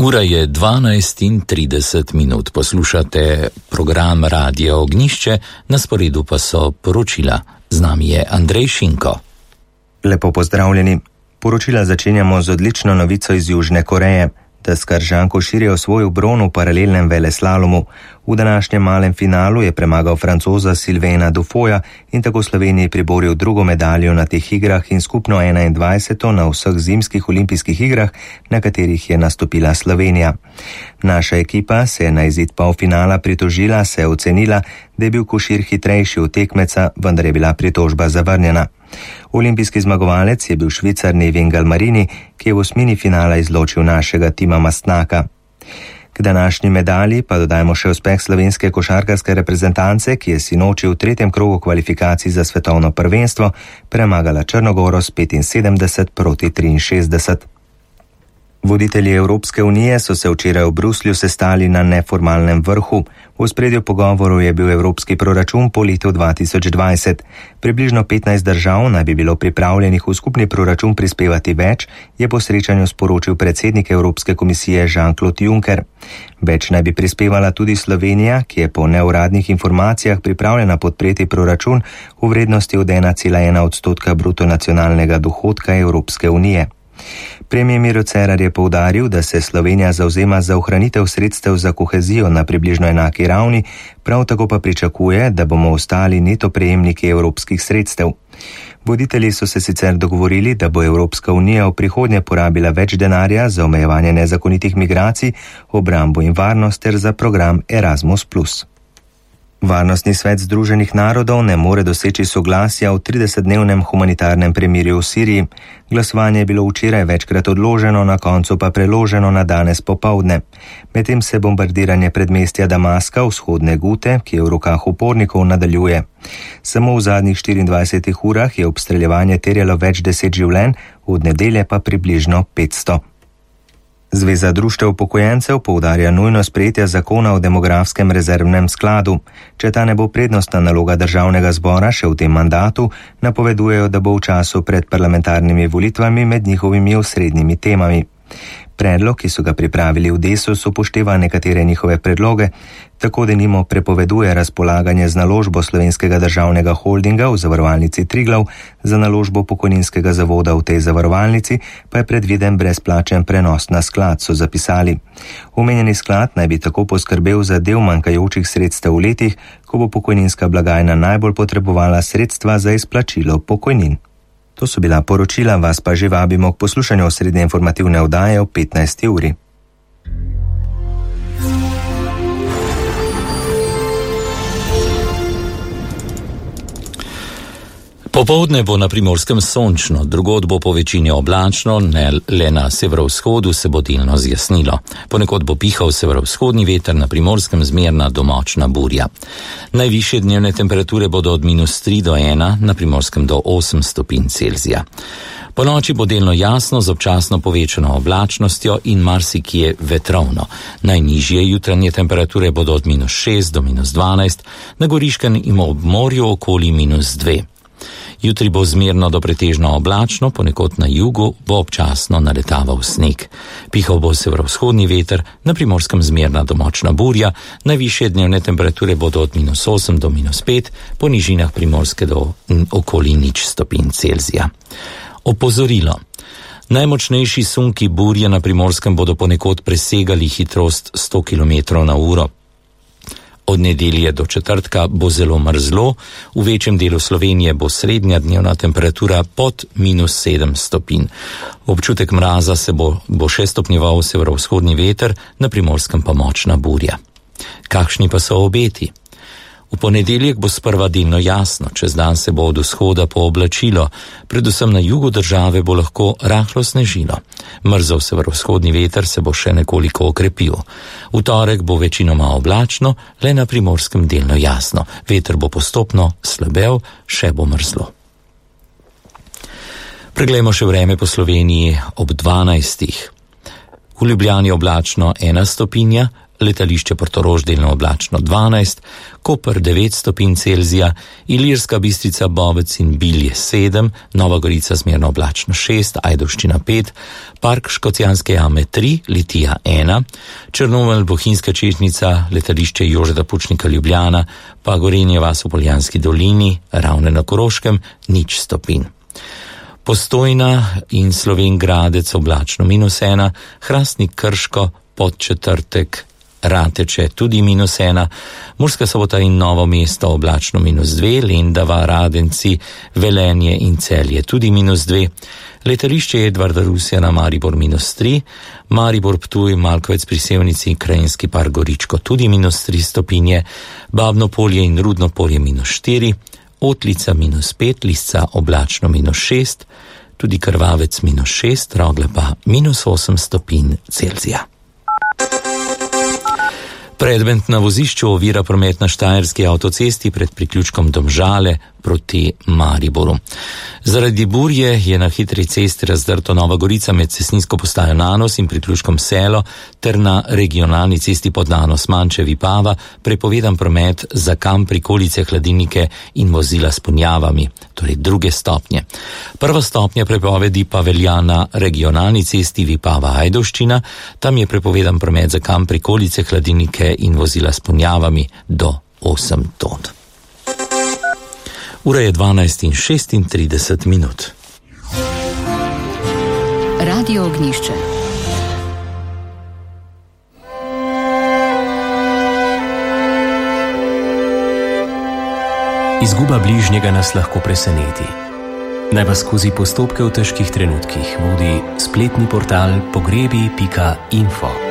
Ura je 12:30, poslušate program Radio Ognjišče, na sporedu pa so poročila. Z nami je Andrej Šinko. Lepo pozdravljeni. Poročila začenjamo z odlično novico iz Južne Koreje. Deskar Zhang Košir je osvojil bron v paralelnem veleslalomu. V današnjem malem finalu je premagal Francoza Sylvaina Dufoja in tako Sloveniji priboril drugo medaljo na teh igrah in skupno 21. na vseh zimskih olimpijskih igrah, na katerih je nastopila Slovenija. Naša ekipa se je na izid polfinala pritožila, se je ocenila, da je bil Košir hitrejši od tekmeca, vendar je bila pritožba zavrnjena. Olimpijski zmagovalec je bil Švicar Nevin Galmarini, ki je v osmini finala izločil našega Tima Mastnaka. K današnji medalji pa dodajmo še uspeh slovenske košarkarske reprezentance, ki je sinoči v tretjem krogu kvalifikacij za svetovno prvenstvo premagala Črnogoro s 75-63. Voditelji Evropske unije so se včeraj v Bruslju sestali na neformalnem vrhu. V ospredju pogovorov je bil evropski proračun po letu 2020. Približno 15 držav naj bi bilo pripravljenih v skupni proračun prispevati več, je po srečanju sporočil predsednik Evropske komisije Jean-Claude Juncker. Več naj bi prispevala tudi Slovenija, ki je po neuradnih informacijah pripravljena podpreti proračun v vrednosti od 1,1% bruto nacionalnega dohodka Evropske unije. Premijer Miro Cerar je poudaril, da se Slovenija zavzema za ohranitev sredstev za kohezijo na približno enaki ravni, prav tako pa pričakuje, da bomo ostali neto prejemniki evropskih sredstev. Voditelji so se sicer dogovorili, da bo Evropska unija v prihodnje porabila več denarja za omejevanje nezakonitih migracij, obrambo in varnost ter za program Erasmus+. Varnostni svet Združenih narodov ne more doseči soglasja v 30-dnevnem humanitarnem premirju v Siriji. Glasovanje je bilo včeraj večkrat odloženo, na koncu pa preloženo na danes popoldne. Medtem se bombardiranje predmestja Damaska, vzhodne Gute, ki je v rokah upornikov, nadaljuje. Samo v zadnjih 24 urah je obstreljevanje terjalo več 10 življenj, od nedelje pa približno 500. Zveza društev upokojencev poudarja nujno sprejetje zakona o demografskem rezervnem skladu. Če ta ne bo prednostna naloga državnega zbora še v tem mandatu, napovedujejo, da bo v času pred parlamentarnimi volitvami med njihovimi osrednjimi temami. Predlog, ki so ga pripravili v Desus, upošteva nekatere njihove predloge, tako denimo prepoveduje razpolaganje z naložbo Slovenskega državnega holdinga v zavarovalnici Triglav, za naložbo pokojninskega zavoda v tej zavarovalnici pa je predviden brezplačen prenos na sklad, so zapisali. Omenjeni sklad naj bi tako poskrbel za del manjkajočih sredstev v letih, ko bo pokojninska blagajna najbolj potrebovala sredstva za izplačilo pokojnin. To so bila poročila, vas pa že vabimo k poslušanju osrednje informativne oddaje ob 15. uri. Popoldne bo na Primorskem sončno, drugod bo po večini oblačno, ne le na severovzhodu se bo delno zjasnilo. Ponekod bo pihal severovzhodni veter, na Primorskem zmerna do močna burja. Najvišje dnevne temperature bodo od -3 do 1, na Primorskem do 8 stopinj Celzija. Po noči bo delno jasno z občasno povečano oblačnostjo in marsikje vetrovno. Najnižje jutranje temperature bodo od -6 do -12, na Goriškem in ob morju okoli -2. Jutri bo zmerno do pretežno oblačno, ponekod na jugu bo občasno naletaval sneg. Pihal bo severovzhodni veter, na Primorskem zmerna do močna burja, najvišje dnevne temperature bodo od -8 do -5, po nižinah Primorske do okoli 0 stopinj Celzija. Opozorilo. Najmočnejši sunki burje na Primorskem bodo ponekod presegali hitrost 100 km/h. Od nedelje do četrtka bo zelo mrzlo, v večjem delu Slovenije bo srednja dnevna temperatura pod -7 stopinj. Občutek mraza se bo še stopnjeval severovzhodni veter, na Primorskem pa močna burja. Kakšni pa so obeti? V ponedeljek bo sprva delno jasno, čez dan se bo od vzhoda pooblačilo, predvsem na jugu države bo lahko rahlo snežilo. Mrzav severovzhodni veter se bo še nekoliko okrepil. V torek bo večinoma oblačno, le na Primorskem delno jasno. Veter bo postopno slabel, še bo mrzlo. Preglejmo še vreme po Sloveniji ob 12. V Ljubljani oblačno 1 stopinja, letališče Portorož delno oblačno 12, Koper 9 stopinj Celzija, Ilirska Bistrica, Bovec in Bilje 7, Nova Gorica zmerno oblačno 6, Ajdovščina 5, Park Škocjanske jame 3, Litija 1, Črnomelj, Bohinjska Češnjica, letališče Jožeta Pučnika Ljubljana, pa Gorenje vas v Poljanski dolini, Ravne na Koroškem 0 stopinj. Postojna in Slovenj Gradec oblačno -1, Hrastnik Krško, Podčetrtek, Rateče tudi -1, Murska Sobota in Novo mesto oblačno -2, Lendava, Radenci, Velenje in Celje tudi -2, letališče Edvarda Rusjana Maribor -3, Maribor Ptuj, Malkovec pri Sevnici in Krajinski park Goričko tudi -3 stopinje, Babno Polje in Rudno Polje -4, Otlica -5, Lisca oblačno -6, tudi Krvavec -6, Rogle pa -8 stopinj Celzija. Predmet na vozišču ovira promet na Štajerski avtocesti pred priključkom Domžale proti Mariboru. Zaradi burje je na hitri cesti razdrto Nova Gorica med cestninsko postajo Nanos in priključkom Selo ter na regionalni cesti pod Nanos Manče-Vipava prepovedan promet za kamp, prikolice, hladilnike in vozila s ponjavami, torej 2. stopnje. 1. stopnja prepovedi pa velja na regionalni cesti Vipava-Ajdovščina, tam je prepovedan promet za kamp, prikolice, hladilnike in vozila s ponjavami do 8 ton. Ura je 12:36. Radio Ognjišče. Izguba bližnjega nas lahko preseneti. Naj vas skozi postopke v težkih trenutkih vodi spletni portal pogrebi.info.